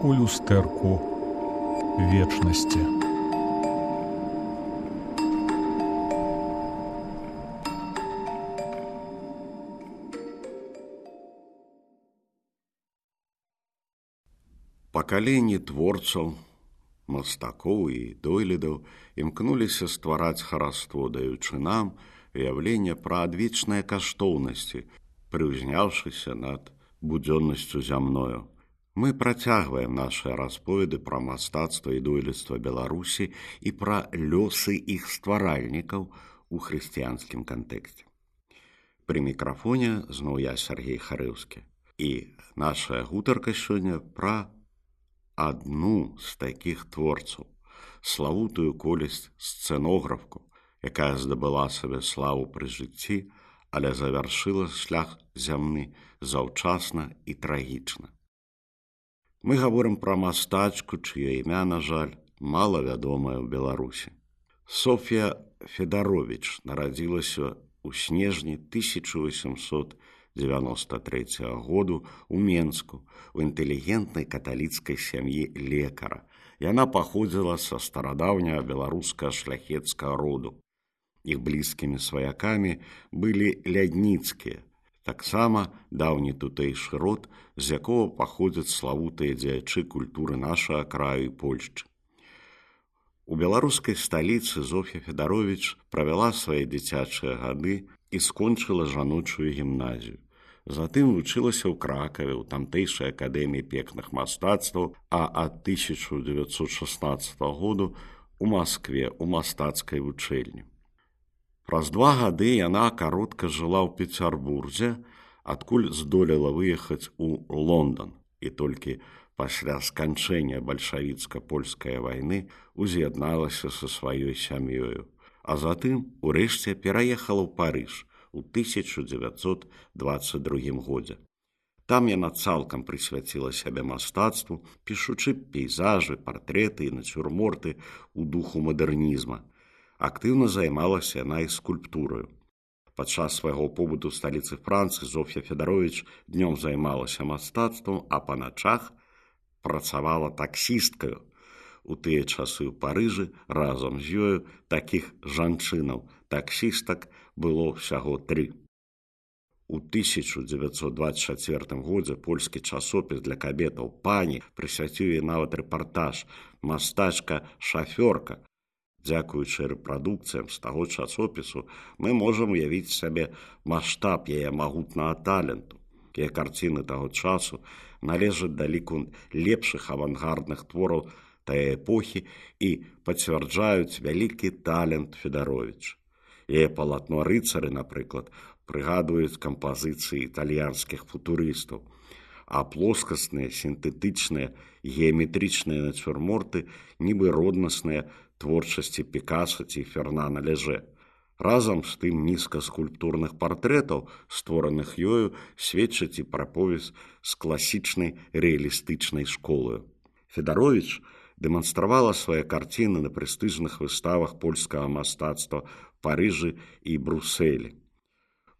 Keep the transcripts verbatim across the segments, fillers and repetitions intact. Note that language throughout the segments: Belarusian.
у люстэрку вечнасці. Пакаленні творцаў, мастакоў і дойлідаў імкнуліся ствараць хараство, даючы нам уяўленне пра адвечныя каштоўнасці, прыўзняўшыся над будзённасцю зямною. Мы працягваем нашыя расповеды пра мастацтва і дойлідства Беларусі і пра лёсы іх стваральнікаў у хрысціянскім кантэксце. Пры мікрафоне зноў я, Сергей Харэўскі. І нашая гутарка сёння пра адну з такіх творцаў, славутую колісь сцэнографку, якая здабыла сабе славу пры жыцці, але завяршыла шлях зямны заўчасна і трагічна. Мы гаворым пра мастачку, чыё імя, на жаль, мала вядомае ў Беларусі. Соф'я Федаровіч нарадзілася ў снежні тысяча васьмісот дзевяноста трэцяга году ў Менску у інтэлігентнай каталіцкай сям'і лекара. Яна паходзіла са старадаўняга беларускага шляхецкага роду. Іх блізкімі сваякамі былі лядніцкія, таксама даўні тутэйшы род, з якога паходзяць славутыя дзеячы культуры нашага краю і Польшчы. У беларускай сталіцы Зоф'я Федаровіч правяла свае дзіцячыя гады і скончыла жаночую гімназію. Затым вучылася ў Кракаве, у тамтэйшай акадэміі пекных мастацтваў, а ад тысяча дзевяцьсот шаснаццатага году у Маскве у мастацкай вучэльні. Праз два гады яна каротка жыла ў Пецярбурзе, адкуль здолела выехаць у Лондан, і толькі пасля сканчэння бальшавіцка-польскай вайны уз'ядналася са сваёй сям'ёю, а затым урэшце пераехала ў Парыж у тысяча дзевяцьсот дваццаць другім годзе. Там яна цалкам прысвяціла сябе мастацтву, пішучы пейзажы, партрэты і нацюрморты ў духу мадэрнізма. Актыўна займалася яна і скульптураю. Падчас свайго побыту ў сталіцы Францыі Зоф'я Федаровіч днём займалася мастацтвам, а па начах працавала таксісткаю. У тыя часы ў Парыжы разам з ёю такіх жанчынаў, таксістак, было ўсяго тры. У тысяча дзевяцьсот дваццаць чацвёртым годзе польскі часопіс для кабетаў «Пані» прысвяціў ёй нават рэпартаж «Мастачка-шафёрка». Дзякуючы рэпрадукцыям з таго часопісу мы можам уявіць сабе маштаб яе магутнага таленту. Яе карціны таго часу належаць да ліку лепшых авангардных твораў тае эпохі і пацвярджаюць вялікі талент Федаровіч. Яе палатно «Рыцары», напрыклад, прыгадваюць кампазіцыі італьянскіх футурыстаў, а плоскасныя, сінтэтычныя, геаметрычныя нацюрморты нібы роднасныя творчасці Пікаса ці Фернана Леже. Разам з тым нізка скульптурных партрэтаў, створаных ёю, сведчаць і пра повязь з класічнай рэалістычнай школаю. Федаровіч дэманстравала свае карціны на прэстыжных выставах польскага мастацтва Парыжы і Брусэлі.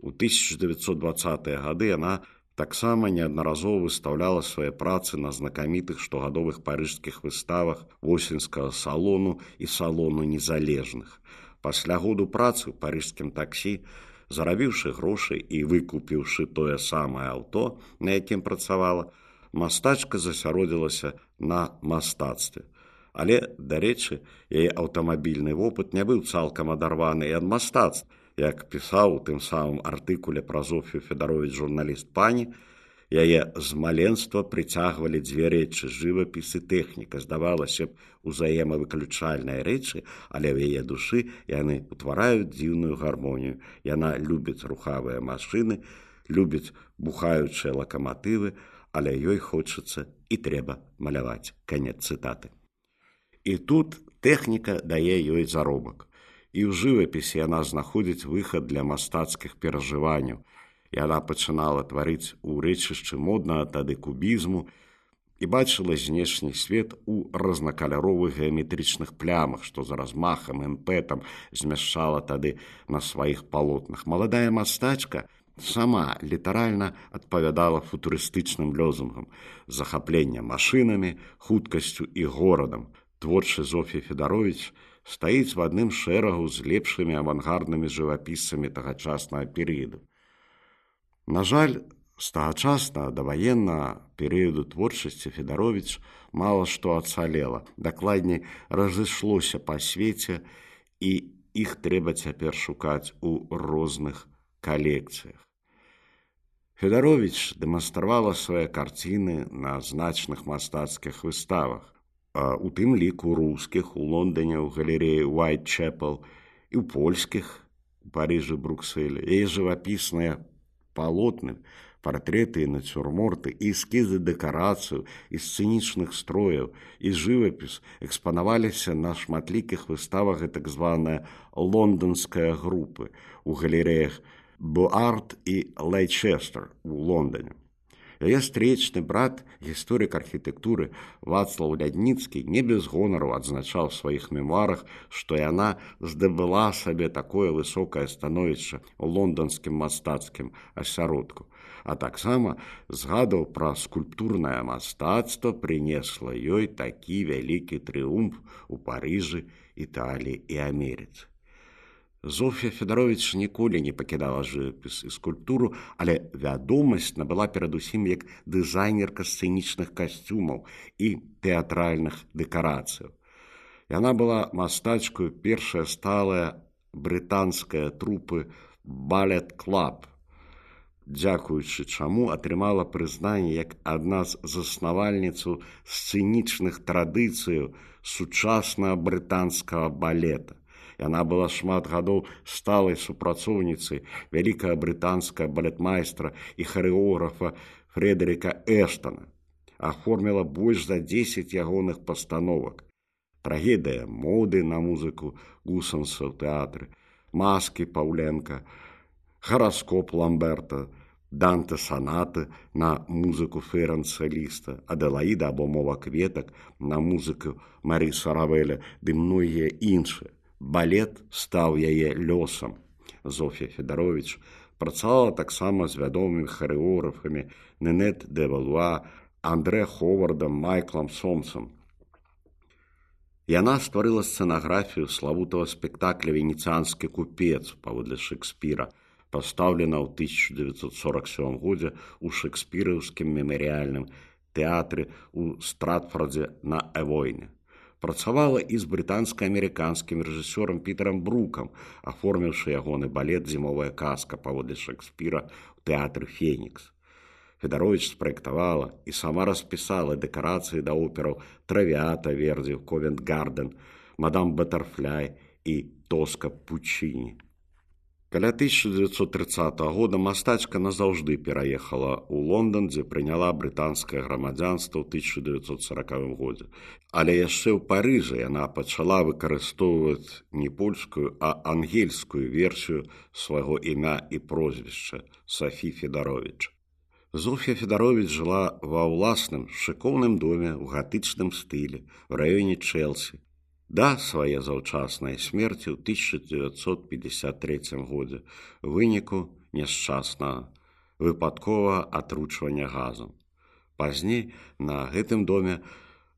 У тысяча дзевяцьсот дваццатыя гады яна таксама неаднаразова выстаўляла свае працы на знакамітых штогадовых парыжскіх выставах восеньскага салону і салону незалежных. Пасля году працы ў парыжскім таксі, зарабіўшы грошы і выкупіўшы тое самае аўто, на якім працавала, мастачка засяродзілася на мастацтве. Але, дарэчы, яе аўтамабільны вопыт не быў цалкам адарваны і ад мастацтва. Як пісаў у тым самым артыкуле пра Зоф'ю Федаровіч журналіст «Пані», яе з маленства прыцягвалі дзве рэчы – жывапіс і тэхніка. Здавалася б, узаемавыключальныя рэчы, але ў яе душы яны ўтвараюць дзіўную гармонію. Яна любіць рухавыя машыны, любіць бухаючыя лакаматывы, але ёй хочацца і трэба маляваць. Канец цытаты. І тут тэхніка дае ёй заробак. І ў жывапісе яна знаходзіць выхад для мастацкіх перажыванняў. Яна пачынала тварыць у рэчышчы моднага тады кубізму і бачыла знешні свет у разнакаляровых геаметрычных плямах, што з размахам, імпэтам змяшчала тады на сваіх палотнах. Маладая мастачка сама літаральна адпавядала футурыстычным лозунгам захаплення машынамі, хуткасцю і горадам. Творчы Зоф'я Федаровіч стаіць в адным шэрагу з лепшымі авангарднымі жывапісцамі тагачаснага перыяду. На жаль, з тагачаснага даваеннага перыяду творчасці Федаровіч мала што ацалела, дакладней разышлося па свеце, і іх трэба цяпер шукаць у розных калекцыях. Федаровіч дэманстравала свае карціны на значных мастацкіх выставах, у тым ліку рускіх у Лондоне ў галерэі Уайтчэпел і ў польскіх у Парыжы, Брукселі. Яе жывапісныя палотны, партрэты і нацюрморты, і эскізы дэкарацыяў, і сцэнічных строяў, і жывапіс экспанаваліся на шматлікіх выставах і так званая лондонская групы у галерэях Буарт і Лейчестер у Лондоне. Яе стречны брат, гісторык архітэктуры Вацлаў Лядніцкі не без гонару адзначаў у сваіх мемуарах, што яна здабыла сабе такое высокае становішча ў лонданскім мастацкім асяродку, а таксама згадаў пра скульптурнае мастацтва прынесла ёй такі вялікі трыумф у Парыжы, Італіі і Амерыцы. Зоф'я Федаровіч ніколі не пакідала жывапіс і скульптуру, але вядомасць набыла перадусім як дызайнерка сцэнічных касцюмаў і тэатральных дэкарацыяў. Яна была мастачкаю першая сталая брытанская трупы Балет Клаб, дзякуючы чаму атрымала прызнанне як адна з заснавальніцаў сцэнічных традыцыяў сучаснага брытанскага балета. Яна была шмат гадоў сталай супрацоўніцай вялікага брытанскага балетмайстра і харэографа Фредэріка Эштана. Аформіла больш за дзесяць ягоных пастановак. Трагедыя моды на музыку Гусанса ў тэатры, Маскі Паўленка, Гараскоп Ламберта, Данте санаты на музыку Ферэнца Ліста, Аделаіда або мова кветак на музыку Маріса Равеля ды многія іншыя. Балет стаў яе лёсам. Зоф'я Федаровіч працавала таксама з вядомымі харэографамі Нэнет де Валуа, Андре Ховардам, Майклам Сомсам. Яна стварыла сцэнаграфію славутага спектакля «Венеціанскі купец» паводле Шекспіра, пастаўлена ў тысяча дзевяцьсот сорок сёмым годзе ў шекспіраўскім мемарыяльным тэатры ў Стратфордзе на Эвойне. Працавала і з брытанска-амерыканскім рэжысёрам Пітерам Брукам, аформіўшы ягоны балет «Зімовая казка» паводле Шекспіра ў тэатры «Фенікс». Федаровіч спраектавала і сама распісала дэкарацыі да операў «Травіата» Вердзі, «Ковент-Гарден», «Мадам Батэрфляй» і «Тоска» Пучіні. Каля тысяча дзевяцьсот трыццатага года мастачка назаўжды пераехала ў Лондан, дзе прыняла брытанскае грамадзянства ў тысяча дзевяцьсот саракавым годзе. Але яшчэ ў Парыжы яна пачала выкарыстоўваць не польскую, а ангельскую версію свайго імя і прозвішча Софі Федаровіч. Зоф'я Федаровіч жыла ва ўласным шыкоўным доме ў гатычным стылі ў раёне Чэлсі. Да свае заўчаснай смерці ў тысяча дзевяцьсот пятьдесят трэцім годзе ў выніку няшчаснага выпадковага атручвання газам. Пазней на гэтым доме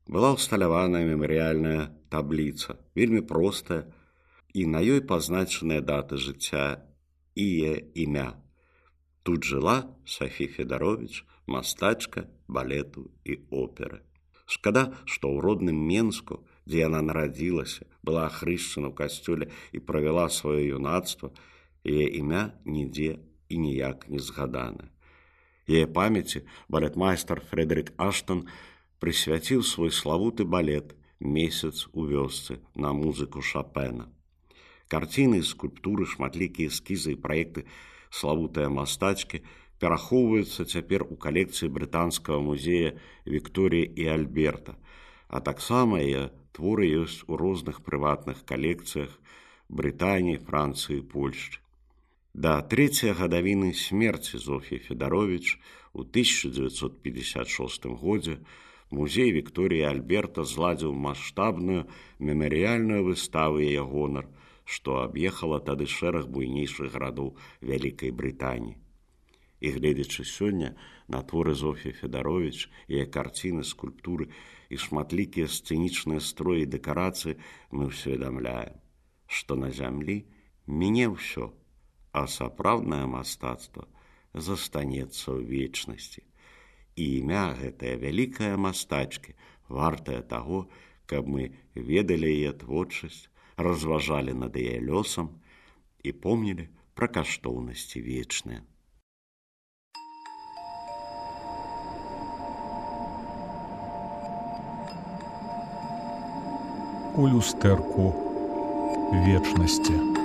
была ўсталяваная мемарыяльная табліца, вельмі простая, і на ёй пазначаныя даты жыцця і яе імя. Тут жыла Софі Федаровіч, мастачка балету і оперы. Шкада, што ў родным Менску, дзе яна нарадзілася, была ахрышчана ў касцёле і правяла сваё юнацтва, яе імя нідзе і ніяк не згадана. Яе памяці балетмайстар Фредэрік Аштон прысвяціў свой славуты балет «Месяц у вёсцы» на музыку Шопена. Карціны, скульптуры, шматлікія эскізы і праекты славутыя мастачкі перахоўваюцца цяпер у калекцыі брытанскага музея Вікторіі і Альберта, а таксама яе творы ёсць у розных прыватных калекцыях Брытаніі, Францыі і Польшчы. Да трэцяй гадавіны смерці Зоф'і Федаровіч у тысяча дзевяцьсот пятьдесят шостым годзе музей Вікторіі і Альберта зладзіў маштабную мемарыяльную выставу яе гонар, што аб'ехала тады шэраг буйнейшых гарадоў Вялікай Брытаніі. І гледзячы сёння на творы Зофіі Федаровіч, яе карціны, скульптуры і шматлікія сцэнічныя строі і дэкарацыі, мы ўсведамляем, што на зямлі міне ўсё, а сапраўднае мастацтва застанецца ў вечнасці. І імя гэтая вялікая мастачкі вартая таго, каб мы ведалі яе творчасць, разважалі над яе лёсам і помнілі пра каштоўнасці вечныя. У люстэрку вечнасці.